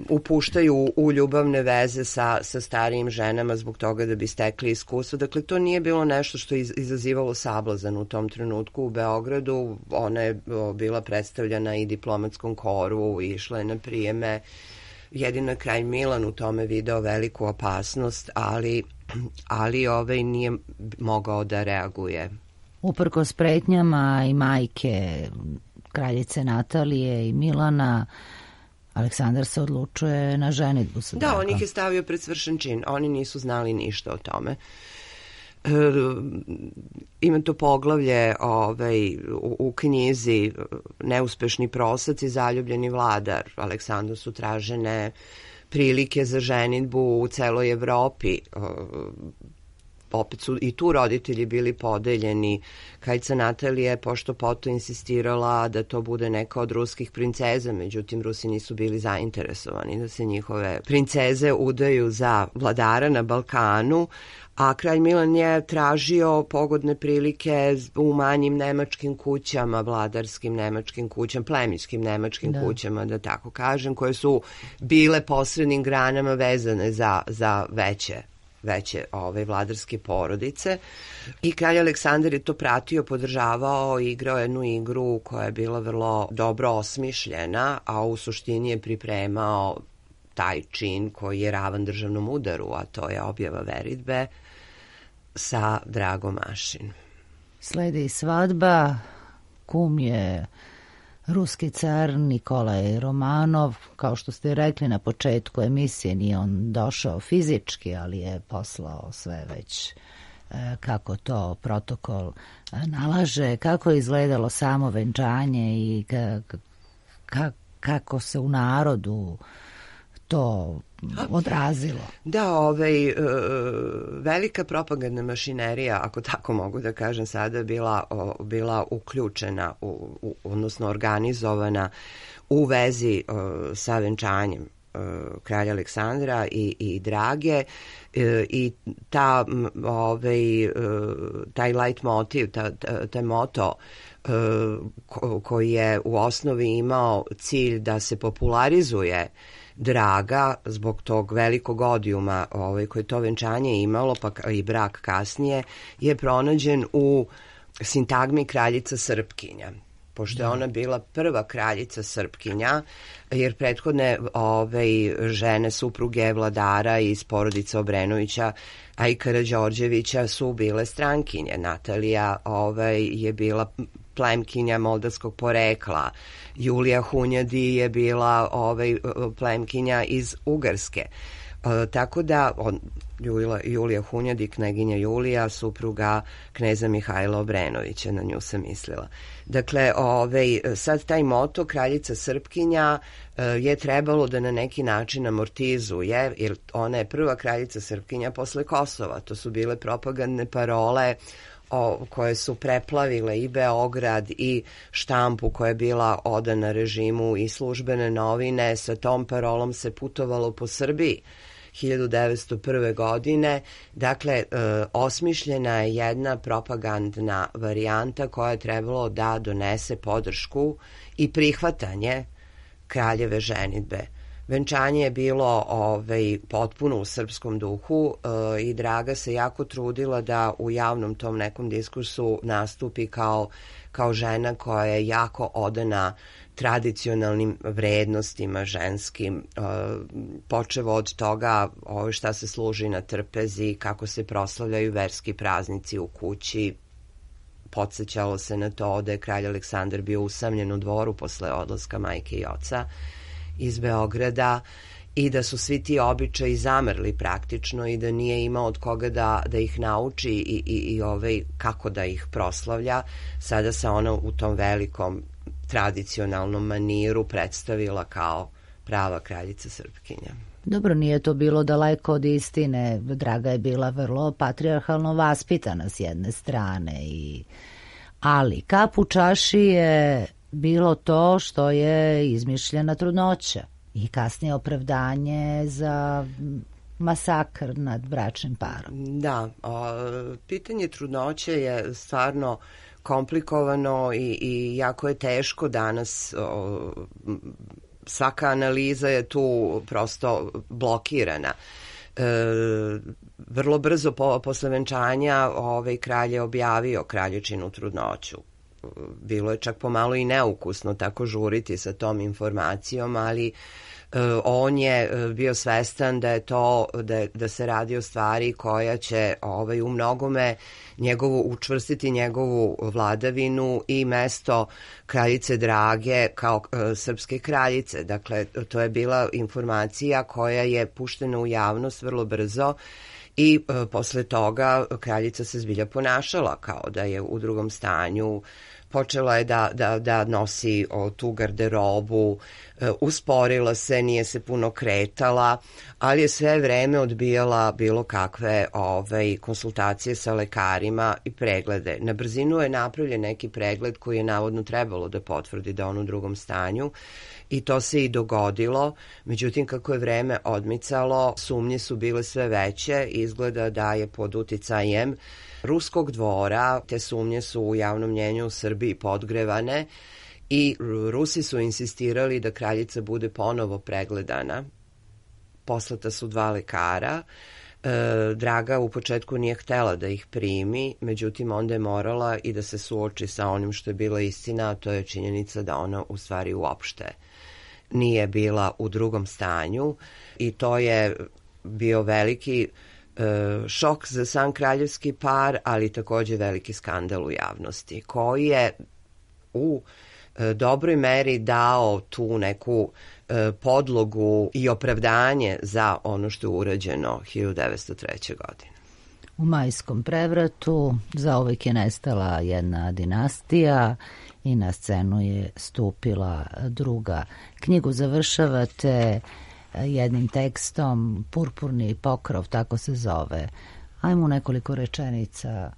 Speaker 6: upuštaju u ljubavne veze sa starijim ženama zbog toga da bi stekli iskustvo. Dakle, to nije bilo nešto što je izazivalo sablazan u tom trenutku u Beogradu. Ona je bila predstavljena i diplomatskom koru, išla je na prijeme. Jedino kralj Milan u tome video veliku opasnost, ali nije mogao da reaguje.
Speaker 1: Uprkos pretnjama i majke kraljice Natalije i Milana, Aleksandar se odlučuje na ženidbu sa Dragom.
Speaker 6: Da, on ih je stavio pred svršen čin. Oni nisu znali ništa o tome. Ima to poglavlje u knjizi Neuspešni prosac i zaljubljeni vladar. Aleksandru su tražene prilike za ženidbu u celoj Evropi. Opet su i tu roditelji bili podeljeni. Kraljica Natalija je pošto poto insistirala da to bude neka od ruskih princeza, međutim Rusi nisu bili zainteresovani da se njihove princeze udaju za vladara na Balkanu, a kralj Milan je tražio pogodne prilike u manjim nemačkim kućama, vladarskim nemačkim kućama, plemićkim nemačkim kućama, da tako kažem, koje su bile posrednim granama vezane za veće vladarske porodice. I kralj Aleksandar je to pratio, podržavao, igrao jednu igru koja je bila vrlo dobro osmišljena, a u suštini je pripremao taj čin koji je ravan državnom udaru, a to je objava veritbe sa Dragom Mašin.
Speaker 1: Sledi svadba, kum je ruski car Nikolaj Romanov. Kao što ste rekli na početku emisije, nije on došao fizički, ali je poslao sve već kako to protokol nalaže, kako je izgledalo samo venčanje i kako se u narodu to odrazilo.
Speaker 6: Da, velika propagandna mašinerija, ako tako mogu da kažem sada, bila uključena, odnosno organizovana u vezi sa venčanjem kralja Aleksandra i Drage, i taj light motiv, taj moto koji je u osnovi imao cilj da se popularizuje Draga zbog tog velikog odijuma koje to venčanje imalo, pa i brak kasnije, je pronađen u sintagmi kraljica Srpkinja. Pošto je ona bila prva kraljica Srpkinja, jer prethodne žene, supruge vladara iz porodice Obrenovića, a i Karađorđevića su bile strankinje. Natalija je bila plemkinja moldavskog porekla. Julija Hunjadi je bila plemkinja iz Ugarske. Tako da Julija Hunjadi, kneginja Julija, supruga kneza Mihajla Obrenovića, na nju sam mislila. Dakle, sad taj moto kraljica Srpkinja je trebalo da na neki način amortizuje, jer ona je prva kraljica Srpkinja posle Kosova. To su bile propagandne parole koje su preplavile i Beograd i štampu koja je bila odana režimu i službene novine. Sa tom parolom se putovalo po Srbiji 1901. godine. Dakle, osmišljena je jedna propagandna varijanta koja je trebalo da donese podršku i prihvatanje kraljeve ženidbe. Venčanje je bilo potpuno u srpskom duhu i Draga se jako trudila da u javnom tom nekom diskursu nastupi kao žena koja je jako odana tradicionalnim vrednostima ženskim, počevo od toga šta se služi na trpezi, kako se proslavljaju verski praznici u kući. Podsećalo se na to da je kralj Aleksandar bio usamljen u dvoru posle odlaska majke i oca iz Beograda i da su svi ti običaji zamrli praktično i da nije imao od koga da ih nauči i kako da ih proslavlja. Sada se ona u tom velikom tradicionalnom maniru predstavila kao prava kraljica Srpkinja.
Speaker 1: Dobro, nije to bilo daleko od istine. Draga je bila vrlo patrijarhalno vaspitana s jedne strane, ali kap u čaši je bilo to što je izmišljena trudnoća i kasnije opravdanje za masakr nad bračnim parom.
Speaker 6: Da, pitanje trudnoće je stvarno komplikovano i jako je teško danas svaka analiza je tu prosto blokirana. Vrlo brzo posle venčanja kralj je objavio kraljičinu trudnoću. Bilo je čak pomalo i neukusno tako žuriti sa tom informacijom, ali on je bio svestan da je to, da se radi o stvari koja će u mnogome učvrstiti njegovu vladavinu i mesto kraljice Drage kao srpske kraljice. Dakle, to je bila informacija koja je puštena u javnost vrlo brzo i posle toga kraljica se zbilja ponašala kao da je u drugom stanju. Počela je da nosi tu garderobu, usporila se, nije se puno kretala, ali je sve vreme odbijala bilo kakve konsultacije sa lekarima i preglede. Na brzinu je napravljen neki pregled koji je navodno trebalo da potvrdi da on u drugom stanju i to se i dogodilo. Međutim, kako je vreme odmicalo, sumnje su bile sve veće i izgleda da je pod uticajem ruskog dvora. Te sumnje su u javnom mnjenju u Srbiji podgrevane i Rusi su insistirali da kraljica bude ponovo pregledana. Poslata su 2 lekara. Draga u početku nije htela da ih primi, međutim onda je morala i da se suoči sa onim što je bila istina, a to je činjenica da ona u stvari uopšte nije bila u drugom stanju i to je bio veliki šok za sam kraljevski par, ali takođe veliki skandal u javnosti, koji je u dobroj meri dao tu neku podlogu i opravdanje za ono što je urađeno 1903. godine.
Speaker 1: U majskom prevratu zauvek je nestala jedna dinastija i na scenu je stupila druga. Knjigu završavate jednim tekstom, Purpurni pokrov, tako se zove. Ajmo nekoliko rečenica.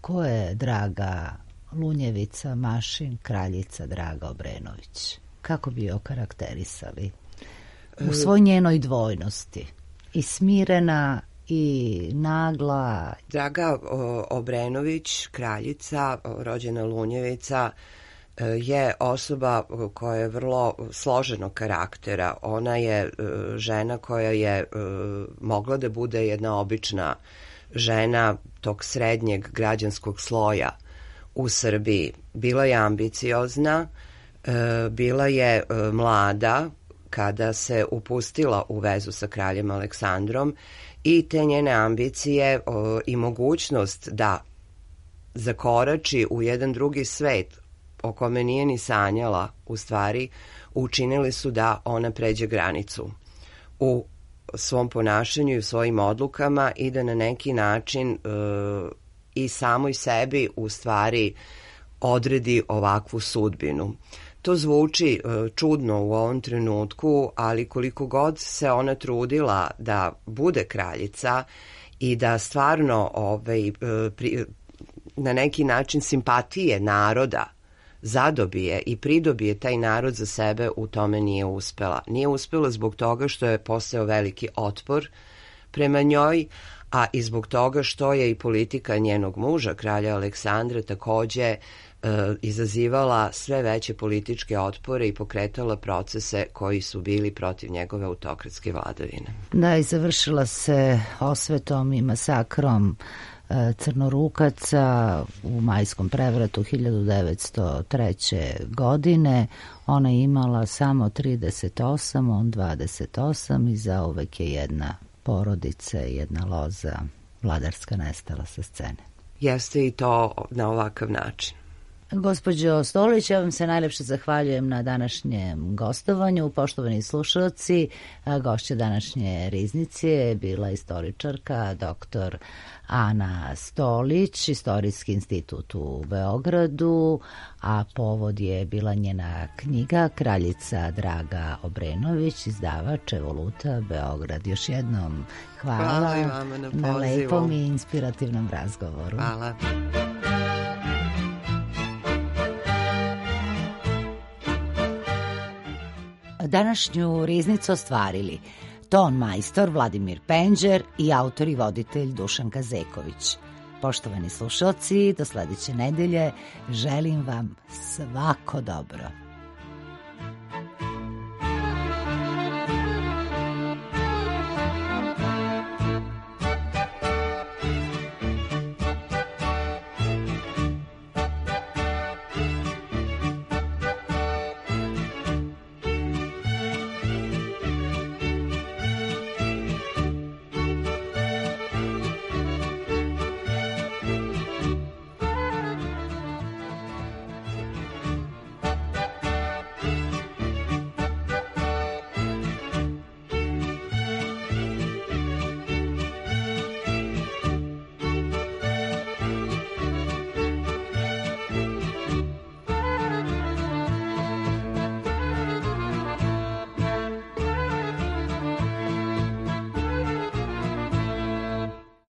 Speaker 1: Ko je Draga Lunjevica Mašin, kraljica Draga Obrenović? Kako bi je okarakterisali? U svoj njenoj dvojnosti. I smirena i nagla.
Speaker 6: Draga Obrenović, kraljica, rođena Lunjevica, je osoba koja je vrlo složenog karaktera. Ona je žena koja je mogla da bude jedna obična žena tog srednjeg građanskog sloja u Srbiji. Bila je ambiciozna, bila je mlada kada se upustila u vezu sa kraljem Aleksandrom i te njene ambicije i mogućnost da zakorači u jedan drugi svet o kome nije ni sanjala, u stvari učinili su da ona pređe granicu u svom ponašanju i u svojim odlukama i da na neki način i samoj sebi u stvari odredi ovakvu sudbinu. To zvuči čudno u ovom trenutku, ali koliko god se ona trudila da bude kraljica i da stvarno na neki način simpatije naroda zadobije i pridobije taj narod za sebe, u tome nije uspela. Nije uspela zbog toga što je postojao veliki otpor prema njoj, a i zbog toga što je i politika njenog muža, kralja Aleksandra, takođe izazivala sve veće političke otpore i pokretala procese koji su bili protiv njegove autokratske vladavine.
Speaker 1: Da, i završila se osvetom i masakrom Crnorukaca u majskom prevratu 1903. godine. Ona je imala samo 38, on 28 i zauvek je jedna porodica, jedna loza vladarska nestala sa scene.
Speaker 6: Jeste i to na ovakav način.
Speaker 1: Gospođo Stolić, ja vam se najlepše zahvaljujem na današnjem gostovanju. Poštovani slušalci, gošća današnje riznice je bila istoričarka dr. Ana Stolić, Istorijski institut u Beogradu, a povod je bila njena knjiga Kraljica Draga Obrenović, izdavač Evoluta Beograd. Još jednom hvala
Speaker 6: i vama na
Speaker 1: lepom i inspirativnom razgovoru.
Speaker 6: Hvala.
Speaker 1: Današnju riznicu ostvarili ton majstor Vladimir Penđer i autor i voditelj Dušan Kazeković. Poštovani slušalci, do sledeće nedelje želim vam svako dobro.